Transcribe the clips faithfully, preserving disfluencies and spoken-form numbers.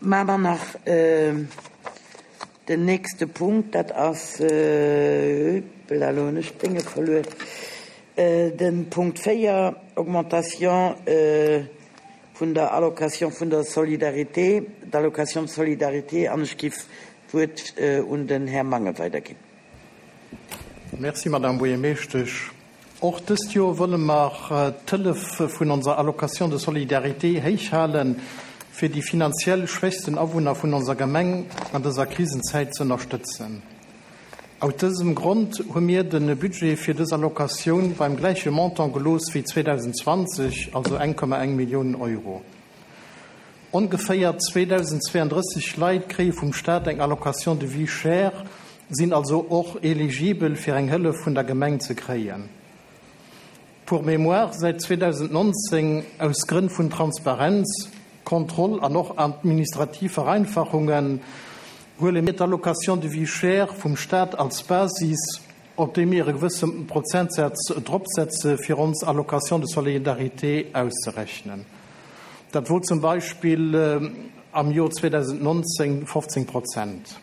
Maache mer nach den nächste Punkt, dat ass, hoppla, elo hunn ech d'Dénge verluer, de Punkt véier, Augmentation vun der Allocation vun der Solidarité, d'Allocation de solidarité, an ech giff d'Wuert un den Här Mangen weiderginn. Merci, Madame Buergermeeschtesch. Och dëst Joer wëlle mer d'Hëllef vun onser Allocation de solidarité héich halen, fir déi finanziell schwächsten Awunner vun onser Gemeng an dëser Krisenzäit ze ënnerstëtzen. Aus dësem Grond hu mir de Budget fir dës Allocatioun beim gläiche Montant gelooss wéi zweedausendzwanzeg, also eng Komma eng Milliounen Euro. Ongeféier zweedausendzweeanddrësseg Leit kréie vum Staat eng Allocation de vie chère, sinn also och eligibel fir eng Hëllef vun der Gemeng ze kréien. Pour mémoire, säit zweedausendnonzéng, aus Grënn vun Transparenz, Kontroll an och administrativ Vereinfachungen, huele mir d'Allocation de vie chère vum Staat als Basis, op déi mir e gewësse Prozentsaz dropsetze fir ons Allocation de solidarité auszerechnen. Dat wor zum Beispill am Joer zweedausendnonzéng fofzéng Prozent.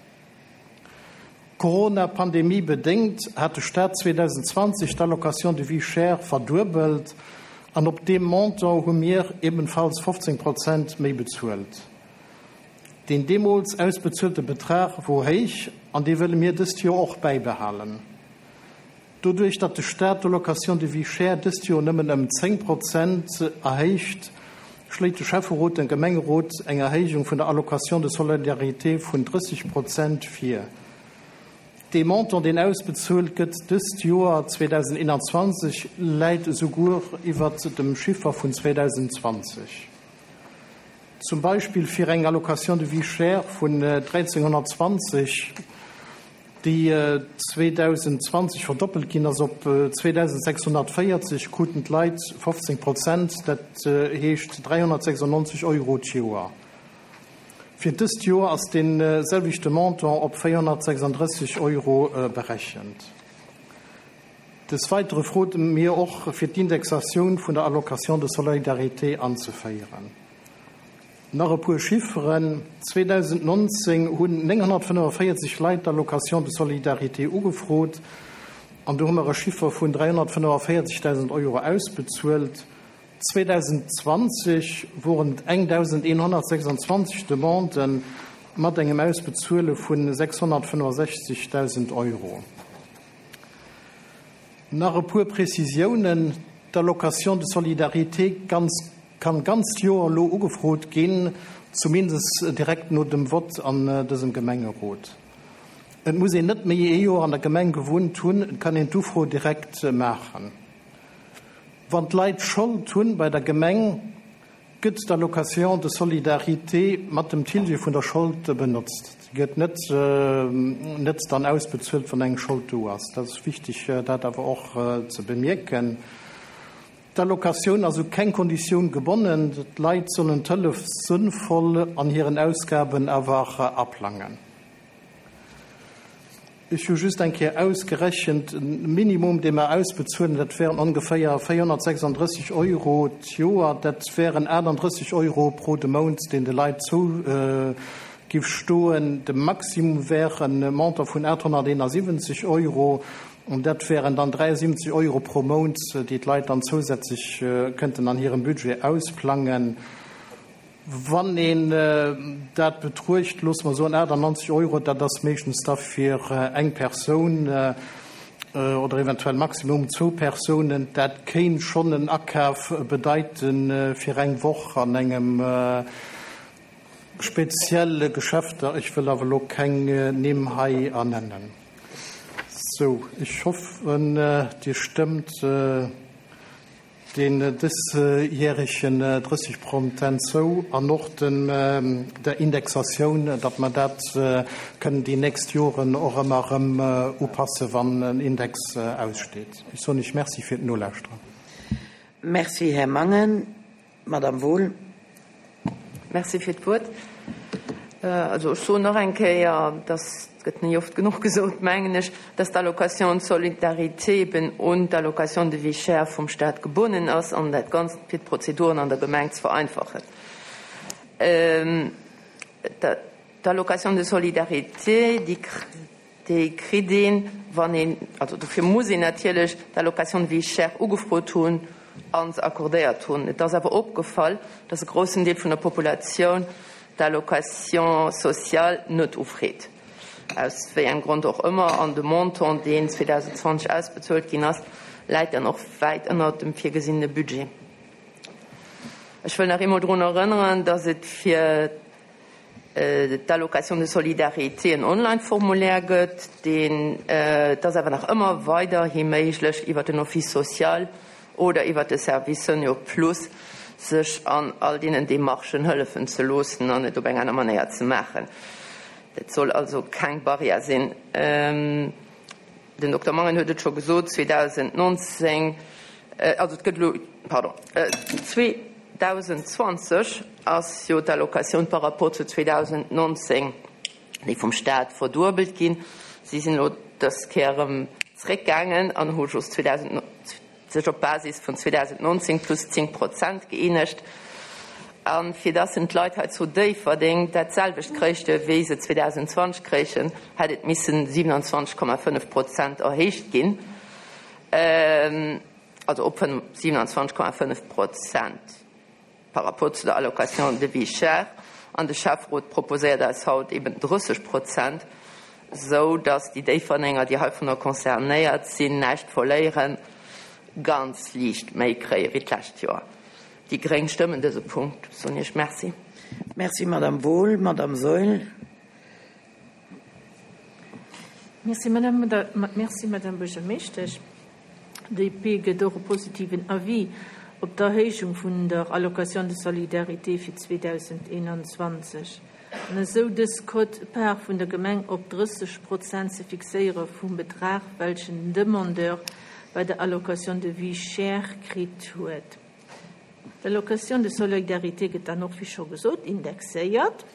Corona-Pandemie bedéngt hat de Staat zweedausendzwanzeg d'Allocation de vie chère verduebelt an op deem Montant hu mir ebenfalls fofzéng Prozent méi bezuelt. Deen deemools ausbezuelte Betrag wor héich an dee wëlle mir dëst Joer och bäibehalen. Doduerch, datt de Staat d'Allocation de vie chère dëst Joer nëmmen ëm zéng Prozent erhéicht, schléit de Schäfferot dem Gemengerot eng Erhéijung vun der Allocation de solidarité vun drësseg Prozent vir. Dee Montant, deen ausbezuelt gëtt dëst Joer zweedausendeenanzwanzeg, läit esouguer iwwert dem Chiffer vun zweedausendzwanzeg. Zum Beispill fir eng Allocation de vie chère vun dräizehnhonnertzwanzeg, déi zweedausendzwanzeg verdoppelt ginn ass op zweedausendsechshonnertvéierzeg, kruten d'Leit fofzéng Prozent, dat heescht dräihonnertsechsundneunzeg Euro d'Joer. Fir dëst Joer ass dee selwechte Montant op véierhonnertsechsunddrësseg Euro berechent. Des Weitere frote mir och, fir d'Indexatioun vun der Allocation de solidarité anzeféieren. Nach e puer Chifferen, zweedausendnonzéng hunn nénghonnertfënnefenvéierzeg Leit d'Allocation de solidarité ugefrot an do hu mer e Chiffer vun dräihonnertfënnefenvéierzegdausend Euro ausbezuelt. zweedausendzwanzeg woren et engdausendeenhonnertsechsundzwanzeg Demanden mat engem Ausbezuele vun sechshonnertfënnefensechzegdausend Euro. Nach e puer Prezisiounen, D'Allocation de solidarité ganz, kann d'ganzt Joer elo ugefrot ginn, zumindest direkt no dem Vott an dësem Gemengerot. Et muss een net méi ee Joer an der Gemeng gewunnt hunn, et kann een d'Ufro direkt maachen. Wann d'Leit Schold hunn bei der Gemeng, gëtt d'Allocation de solidarité mat dem Tilge vun der Schold benotzt. Se gëtt net, net dann ausbezuelt, wann eng Schold do ass. Dat ass wichteg, dat awer och ze bemierken. D'Allocatioun ass u keng Konditioun gebonnen. D'Leit sollen d'Hëllef sënnvoll an hiren Ausgaben awer aplangen. Ech hu just eng Kéier ausgerechent, e Minimum, dee mer ausbezuelen, dat wären ongeféier véierhonnertsechsunddrësseg Euro d'Joer. Dat wären achtundrësseg Euro pro de Mount, deen de Leit zou giff stoen. De Maximum wär e Montant vun aathonnerteenasiwwenzeg Euro. An dat wären dann dräiundsiwwenzeg Euro pro Mount, déi d'Leit dann zousätzlech kënnten an hirem Budget ausplangen. Wann een dat betruecht, loosse mer soen achtundneunzeg Euro, dat ass meeschtens da fir eng Persoun oder eventuell maximum zwou Persounen, dat kéint schonn en Akaf bedeite fir eng Woch an engem spezielle Geschäfter. Ech wëll awer elo keng Nimm hei ernennen. Sou, ech hoffen, Dir stëmmt deen dësjäregen drësseg Prozent zou an och dem der Indexatioun, datt mer dat kënnen déi nächst Joren och ëmmer erëm upassen, wann en Index aussteet. Ech soen Iech Merci fir d'Nolauschteren. Merci, Här Mangen. Madame Wohl. Merci fir d'Wuert. Also ech soen nach eng Kéier, dass gëtt net oft genuch gesot, mengen ech, dass d'Allocation de solidarité eben un d'Allocation de vie chère vum Staat gebonnen ass an dat Ganzt fir d'Prozeduren an der Gemeng ze vereinfachen. D'Allocation de solidarité, déi déi kritt een, wann een, also dofir muss een natierlech d'Allocation de vie chère ugefrot hunn a se accordéiert hunn. Et ass awer opgefall, dass e groussen Deel vun der Populatioun d'Allocation sociale net ufreet, aus wéi engem Grond och ëmmer, an de Montant, deen zweedausendzwanzeg ausbezuelt ginn ass, läit dann och wäit ënnert dem virgesinnene Budget. Ech wëll nach eemol drun erënneren, dass et fir d'Allocation de solidarité en Online-Formulaire gëtt, deen, et ass awer nach ëmmer weiderhi méiglech, iwwert den Office social oder iwwert de Service Senior Plus sech an all deenen Demarchen hëllefen ze loossen an et op eng aner Manéier ze maachen. Dat soll also keng Barrière sinn. Den Dokter Mangen huet et scho gesot, zweedausendnonzéng, also et gëtt elo, pardon, zweedausendzwanzeg ass jo d'Allocatioun par rapport zu zweedausendnonzéng, déi vum Stat verduebelt ginn. Si sinn elo dës Kéier erëm zréckgaangen an hu just sech op Basis vun zweedausendnonzéng plus zéng Prozent gëeenegt. A fir dass en d'Leit hei zu Déifferdeng dat selwecht kréichte wéi se zweedausendzwanzeg kréichen, hätt et missen siewenundzwanzeg Komma fënnef Prozent erhéicht ginn, also op siewenundzwanzeg Komma fënnef Prozent par rapport zu der Allocation de vie chère. An de Schäfferot proposéiert eis haut eben drësseg Prozent, sou dass déi Déifferdenger, déi heivunner concernéiert sinn, näischt verléieren, ganz liicht méi kréie wéi d'lescht Joer. Déi Gréng stëmmen dëse Punkt. Soen Iech Merci. Merci, Madame Wohl. Madame Saeul. Merci, Madame, merci, Madame Buergermeeschtesch. D P gëtt och e positiven Avis op d'Erhéijung vun der Allocation de solidarité fir zweedausendeenanzwanzeg. An esou dës Quote-part vun der Gemeng op drësseg Prozent ze fixéiere vum Betrag, welchen den Demandeur bei der Allocation de vie chère kritt huet. D'Allocation de solidarité gëtt dann och, wéi scho gesot, indexéiert.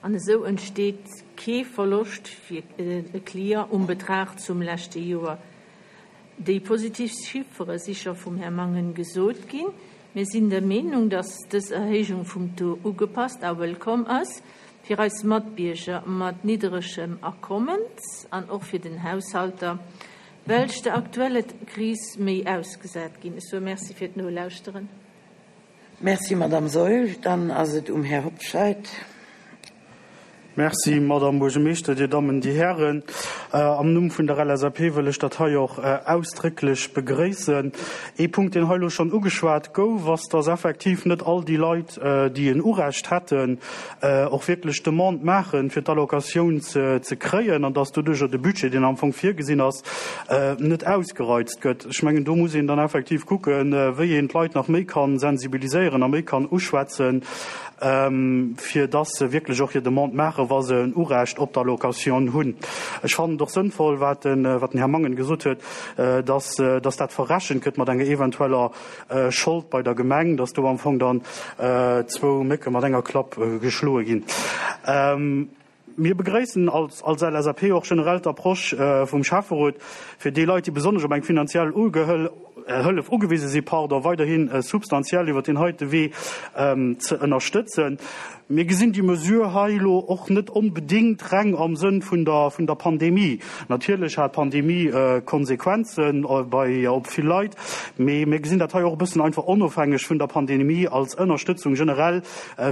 An esou entsteet kee Verloscht fir e Client um Betrag zum leschte Joer. Déi positiv Chiffere si scho vum Här Mangen gesot ginn. Mir sinn der Meenung, dass dës Erhéijung vum Taux ugepasst a wëllkomm ass fir eis Matbierger mat niddregem Akommens an och fir den Haushalter, welch der aktuelle Kris méi ausgesat ginn. Ech soe Merci fir d'Nolauschteren. Merci, Madame Saeul. Dann ass et um Här Hobscheit. Merci, Madame Buergermeeschter, Dir Dammen, Dir Hären. Am Numm vun der L S A P wëll ech dat hei och ausdrécklech begréissen. Ee Punkt, deen hei elo schonn ugeschwat gouf, ass, dass effektiv net all déi Leit, déi en Urecht hätten, och wierklech Demande maachen, fir d'Allocatioun ze, ze kréien, an dass doduercher de Budget, deen am Fong virgesinn ass, net ausgereizt gëtt. Ech mengen, do muss een dann effektiv kucken, wéi een d'Leit nach méi kann sensibiliséieren a méi kann uschwätzen, fir dass se wierklech och hir Demande maachen, wa se en Urecht op d'Allocatioun hunn. Ech fannen et och sënnvoll, wat den, wat den Här Mangen gesot huet, dass, dass dat verrechent gëtt mat enger eventueller Schold bei der Gemeng, dass do am Fong dann zwou Mécke mat enger Klapp geschloe ginn. Mir begréissen als, als L S A P och generell d'Approche vum Schäfferot, fir déi Leit, déi besonnesch op eng finanziell Ugehël-, Hëllef ugewise si, pardon, weiderhin substantiell iwwer den heite Wee ze ënnerstëtzen. Mir gesinn déi Mesure hei elo och net onbedingt reng am Sënn vun der, vun der Pandemie. Natierlech hat d'Pandemie Konsequenzen bei, op vill Leit, mee mir gesinn dat hei och e bëssen einfach onofhängeg vun der Pandemie als Ënnerstëtzung generell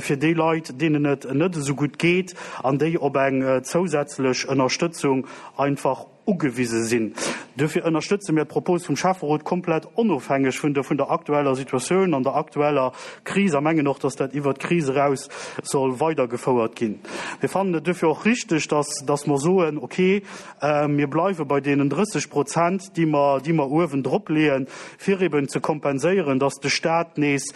fir déi Leit, deenen et net esou gutt geet an déi op eng zousätzlech Ënnerstëtzung einfach ugewise sinn. Dofir ënnerstëtze mir d'Propos vum Schäfferot komplett onofhängeg vun der, vun der aktueller Situatioun an der aktueller Kris a mengen och, dass dat iwwer d'Kris eraus soll weitergefouert ginn. Mir fannen et dofir och richtig, dass, dass mer soen, okay, mir bleiwe bei deenen drësseg Prozent, déi mer, déi mer uewen drop leeën, fir eben ze kompenséieren, dass de Staat nees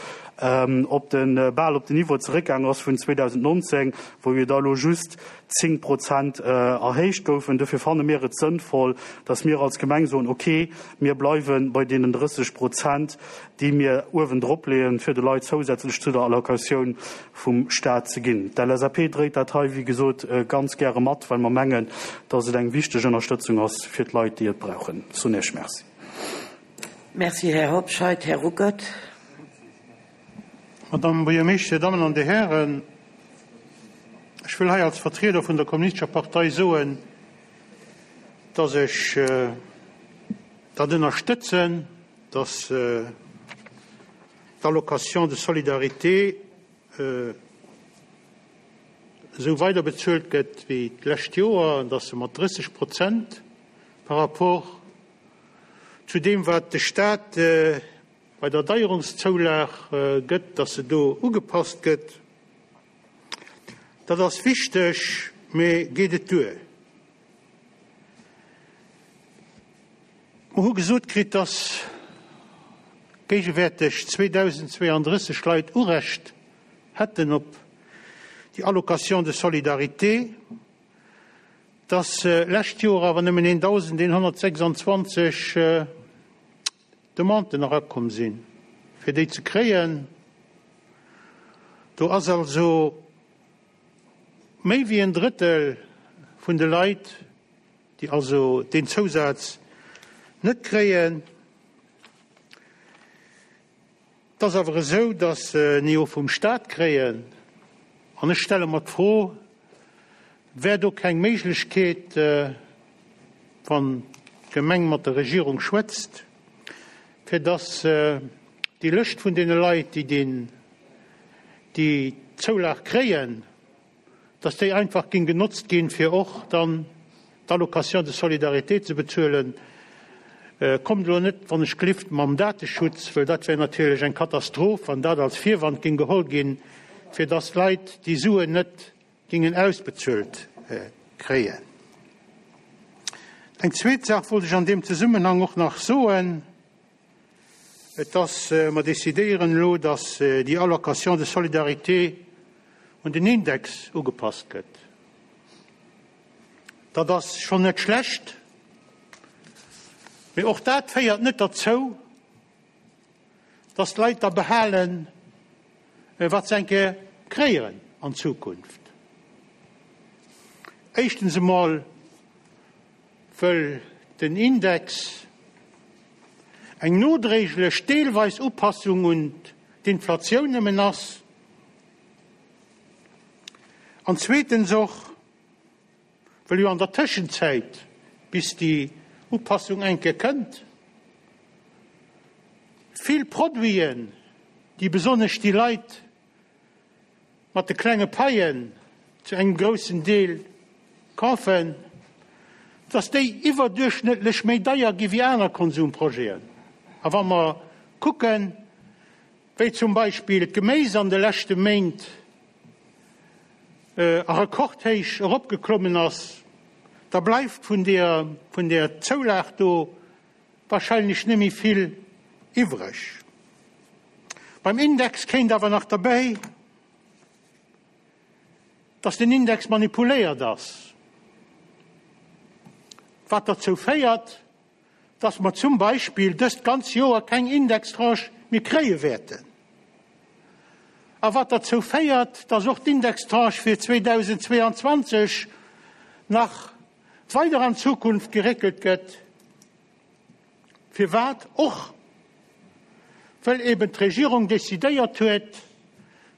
op den, bal op den Niveau zeréckgaangen ass vun zweedausendnonzéng, wou jo da lo just zéng Prozent erhéicht goufen. Dofir fanne mir et sënnvoll, dass mir als Gemeng soen, okay, mir bleiwen bei deenen drësseg Prozent, déi mir uewen drop leeën, fir de Leit zousätzlech zu der Allocatioun vum Staat ze ginn. D'L S A P dréit dat hei, wéi gesot, ganz gäre mat, well mer mengen, dass et eng wichteg Ënnerstëtzung ass fir d'Leit, déi et brauchen. Soen Iech Merci. Merci, Här Hobscheit. Här Ruckert. Madame Buergermeeschter, Damen an Dir Hären, Ech wëll hei als Vertrieder vun der Kommunistescher Partei soen, dass ech dat ënnerstëtzen, dass d'Allocation de solidarité esou weider bezuelt gëtt wéi d'lescht Joer an dass se mat drësseg Prozent par rapport zu deem, wat de Stat bei der Deierungszoulag gëtt, dass se do ugepasst gëtt. Dat ass wichteg, mee geet et duer? Mer hu gesot kritt, dass géigewäerteg zweedausendzweeandrësseg Leit Urecht hätten op déi Allocation de solidarité, dass lescht Joer awer nëmmen eendausendeenhonnertsechsandzwanzeg Demanden erakomm sinn, fir déi ze kréien. Do ass also méi wéi en Drëttel vun de Leit, déi also deen Zousaz net kréien. Et ass awer esou, datt se en jo vum Staat kréien. An ech stelle mer d'Fro, Wär do keng Méiglechkeet, wann d'Gemeng mat der Regierung schwätzt, fir datt déi Lëscht vun deene Leit, déi deen, déi Zoulag kréien, datt déi einfach géing genotzt ginn, fir och dann d'Allocation de solidarité ze bezuelen? Kommt elo net, wann ech glift, mam Dateschutz, well dat wär natierlech eng Katastroph, wann dat als Virwand géing geholl ginn, fir datt d'Leit déi Suen net gingen ausbezuelt kréien. Eng zweet Saach wollt ech an deem Zesummenhang och nach soen, Et ass, mer decidéieren elo, datt déi Allocation de solidarité un den Index ugepasst gëtt. Dat ass schonn net schlecht, mee och dat féiert net derzou, datt d'Leit da behalen, wat se eng Kéier kréien an Zukunft. Éischtens emol, wëll den Index eng nodréiglech deelweis Upassung un d'Inflatioun nëmmen ass, an zweetens och, wëll jo an der Tëschenzäit, bis déi Upassung eng Kéier kënnt, vill Produiten, déi besonnesch déi Leit mat de klenge Paien zu engem groussen Deel kafen, dass déi iwwerduerchschnëttlech méi deier gi wéi aner Konsumprojeten. A wa mer kucken, wéi zum Beispill d'Geméis an de leschte Méint a Rekordhéich eropgeklommen ass, da bleift vun där, vun där Zoulag do wahrscheinlech net méi vill iwwreg. Beim Index kéint awer nach derbäi, dass den Index manipuléiert ass, wat derzou féiert, dass mer zum Beispill dëst ganz Joer keng Indextranche méi kréie wäerten, a wat derzou féiert, dass och d'Indextranche fir zweedausendzweeanzwanzeg nach weider an d'Zukunft geréckelt gëtt. Firwat? Och well eben d'Regierung decidéiert huet,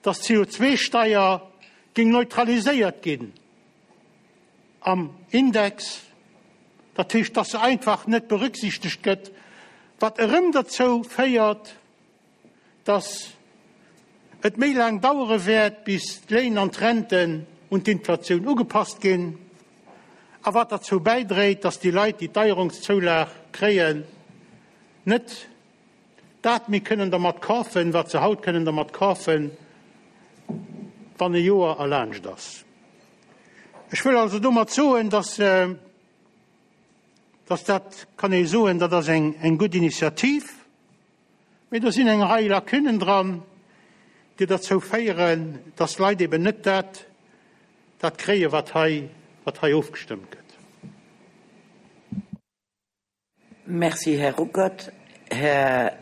dass d'C O zwei Steier géing neutraliséiert ginn am Index, dat heescht, dass se einfach net berücksichtegt gëtt, wat erëm derzou féiert, dass et méi laang dauere wäert, bis d'Léin an d'Renten un d'Inflatioun ugepasst ginn, a wat derzou bäidréit, dass déi Leit, déi d'Deierungszoulag kréien, net dat méi kënnen dermat kafen, wat se haut kënnen dermat kafen, wann e Joer erlaanscht ass. Ech wëll also domat soen, dass, dass dat, kann ee soen, dat ass eng, eng gutt Initiativ, mee do sinn eng Rei Lacunnen dran, déi derzou féieren, dass d'Leit eben net dat, dat kréien, wat hei, wat hei ofgestëmmt gëtt. Merci, Här Ruckert. Här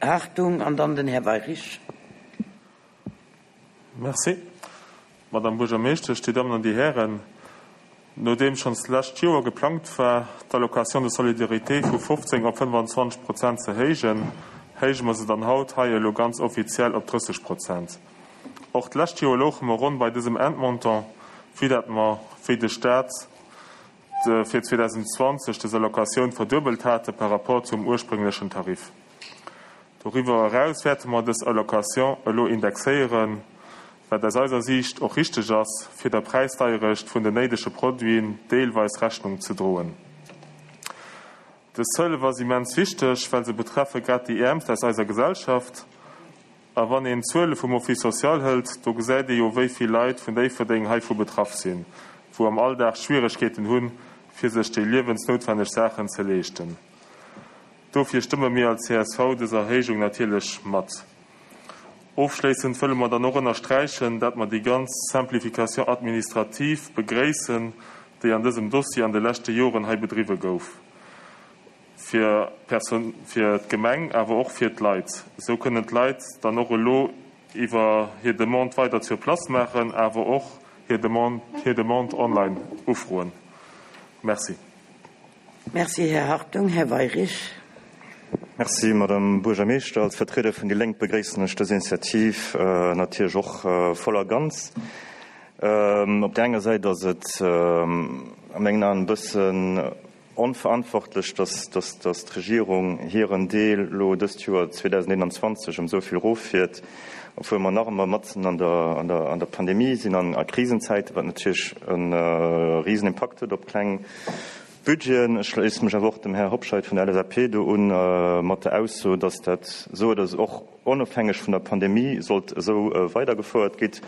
Hartung an dann den Här Weyrich. Merci, Madame Buergermeeschtesch, déi Dammen an déi Hären. Nodeem schonns d'lescht Joer geplangt war, d'Allocation de solidarité vu fofzéng op fënnefanzwanzeg Prozent ze héijen, héije mer se dann haut hei elo ganz offiziell op drësseg Prozent. Och d'lescht Joer louche mer ronn bei dësem Endmontant, vue dat mer wéi de Staat fir zweedausendzwanzeg dës Allocatioun verduebelt hate par rapport zum ursprénglechen Tarif. Doriwwer eraus wäerte mer dës Allocation elo indexéieren, wat aus eiser Siicht och richteg ass, fir der Präisdeierecht vun den néidege Produiten deelweis Rechnung ze droen. Dës Hëllef ass immens wichteg, well se betreffe grad déi Äermst aus eiser Gesellschaft. A wann een d'Zuele vum Office social hëlt, do gesäit ee jo wéi vill Leit vun Déifferdeng heivu betraff sinn, wou am Alldag Schwieregkeeten hunn, fir sech déi liewensnoutwenneg Saachen ze leeschten. Dofir stëmme mir als C S V dës Erhéijung natierlech mat. Ofschléissend wëlle mer dann och ënnersträichen, dat mer déi ganz Simplification administrative begréissen, déi an dësem Dossier an de leschte Joren hei bedriwwe gouf. Fir fir d'Gemeng, awer och fir d'Leit. Esou kënnen d'Leit dann och elo iwwer hir Demande weider sur place maachen, awer och hir Demande, hir Demande online ufroen. Merci. Merci, Här Hartung. Här Weyrich. Merci, Madame Buergermeeschter. Als Vertrieder vun déi Lénk begréissen ech dës Initiativ äh, natierlech och äh, voll a ganz. Ähm, op der enger Säit ass et ähm, a mengen Aen e bëssen onverantwortlech, dass, dass, dass d'Regierung hiren Deel lo dëst Joer zweedausendeenanzwanzeg ëm esou vill eroffiert, obwuel mer nach ëmmer matzen an der, an der, an der Pandemie sinn an a Krisenzäiten, wat natierlech en äh, risen Impakt huet op kleng Budgeten. Ech schléisse mech awer och dem Här Hobscheit vun der L S A P do un äh, mat der Ausso, dass dat sou oder och onofhängeg vun der Pandemie sollt esou äh, weidergefouert ginn.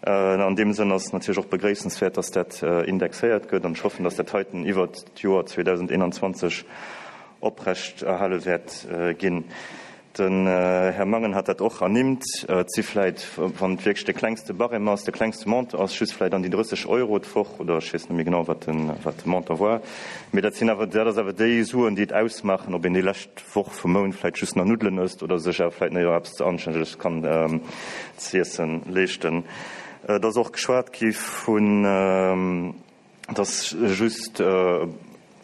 Äh, an deem Sënn ass natierlech och begréissenswäert, dass dat äh, indexéiert gëtt an ech hoffen, dass dat heiten iwwer d'Joer zweedausendeenanzwanzeg oprecht erhale wäert äh, ginn. Den äh, Här Mangen hat dat och ernimmt, äh, et si vläicht, wann et wierklech de klengste Barème ass, de klengste Montant ass, just vläicht an déi drësseg Euro d'Woch oder ech weess net méi genau, wat den, wat de Montant war. Mee dat sinn awer, dat ass awer déi Suen, déi et ausmaachen, ob een déi lescht Woch vum Mount vläicht just nach Nuddelen ësst oder sech awer vläicht nach eppes Anstänneges kann ähm, z'iessen leeschten. Äh, et ass och geschwat gi vun, ähm, dass just äh,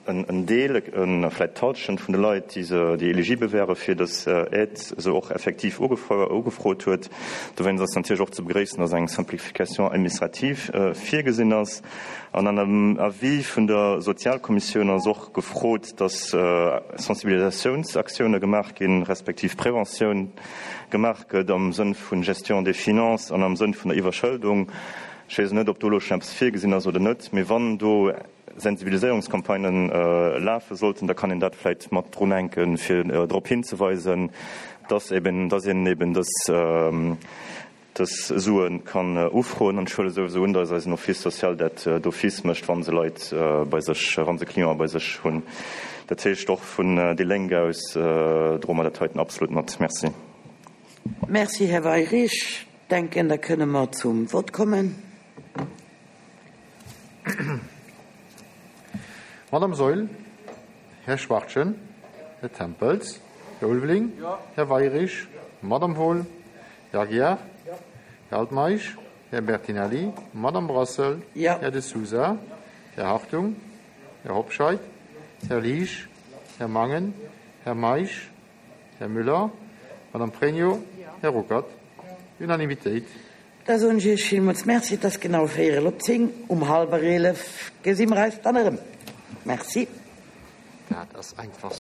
en, en Deel, en, vläicht d'Hallschent vun de Leit, déi se, déi eligibel wäre fir dës äh, Aide, se och effektiv ugefrot huet. Dowéinst ass natierlech och ze begréissen, dass eng Simplification administrative äh, virgesinn ass. An an dem Avis vun der Sozialkommissioun ass och gefrot, dass äh, Sensibilisatiounsaktioune gemaach ginn, respektiv Preventioun gemaach gëtt am Sënn vun Gestion des finances an am Sënn vun der Iwwerschëldung. Ech weess net, ob do lo schonn eppes virgesinn ass oder net, mee wann do Sensibiliséierungscampagnen äh, lafe sollten, da kann een dat vläicht mat drunhänken, fir äh, drop hinzeweisen, dass eben, dass een eben dës, ähm, dës Suen kann äh, ufroen. An ech huele souwisou un, dass eisen Office social dat äh, d'office mécht, wann se Leit äh, bei sech, wann se Clienten bei sech hunn. Dat heescht och vun äh, déi Lénk aus äh, droe mer dat heiten absolut mat. Merci. Merci, Här Weyrich. Denken, da kënne mer zum Vott kommen. Madame Saeul, Här Schwachtgen, Här Tempels, Här Ulveling, Här Weyrich, Madame Wohl, Här Aguiar, Här Altmeisch, Här Bertinelli, Madame Brassel, Ja. Här De Sousa, Här Hartung, Här Hobscheit, Här Liesch, Här Mangen, Här Meisch, Här Müller, Madame Pregno, Här Ruckert. Unanimitéit. Da soen ech Iech villmools Merci, et ass genau véierel op zéng. Um hallwer eelef gesi mer eis dann erëm. Merci. Dat ass einfach